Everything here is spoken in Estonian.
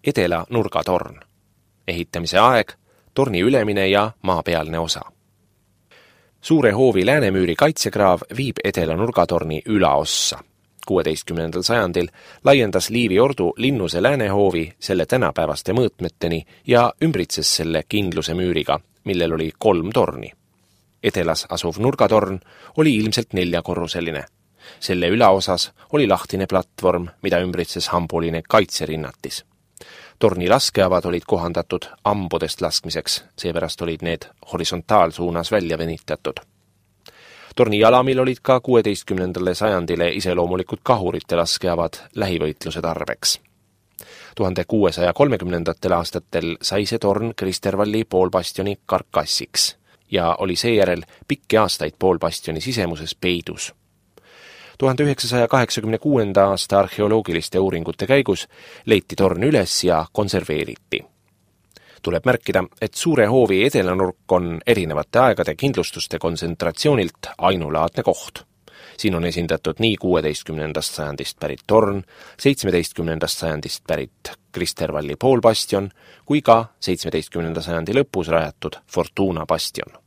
Edela nurgatorn. Ehitamise aeg, torni ülemine ja maapealne osa. Suure hoovi läänemüüri kaitsekraav viib Edela nurgatorni ülaossa. 16. sajandil laiendas Liivi ordu Linnuse läänehoovi selle tänapäevaste mõõtmeteni ja ümbritses selle kindluse müüriga, millel oli 3 torni. Edelas asuv nurgatorn oli ilmselt 4-korruseline. Selle ülaosas oli lahtine platvorm, mida ümbritses hambuline kaitserinnatis. Torni laskeavad olid kohandatud ambudest laskmiseks, seepärast olid need horisontaalsuunas välja venitatud. Torni jalamil olid ka 16. sajandile iseloomulikud kahurite laskeavad lähivõitluse tarbeks. 1630. aastatel sai see torn Kristervalli poolbastioni karkassiks ja oli seejärel pikki aastaid poolbastioni sisemuses peidus. 1986. aasta arheoloogiliste uuringute käigus leiti torn üles ja konserveeriti. Tuleb märkida, et Suure hoovi edelanurk on erinevate aegade kindlustuste kontsentratsioonilt ainulaadne koht. Siin on esindatud nii 16. sajandist pärit torn, 17. sajandist pärit Kristervalli poolbastion kui ka 17. sajandi lõpus rajatud Fortuna bastion.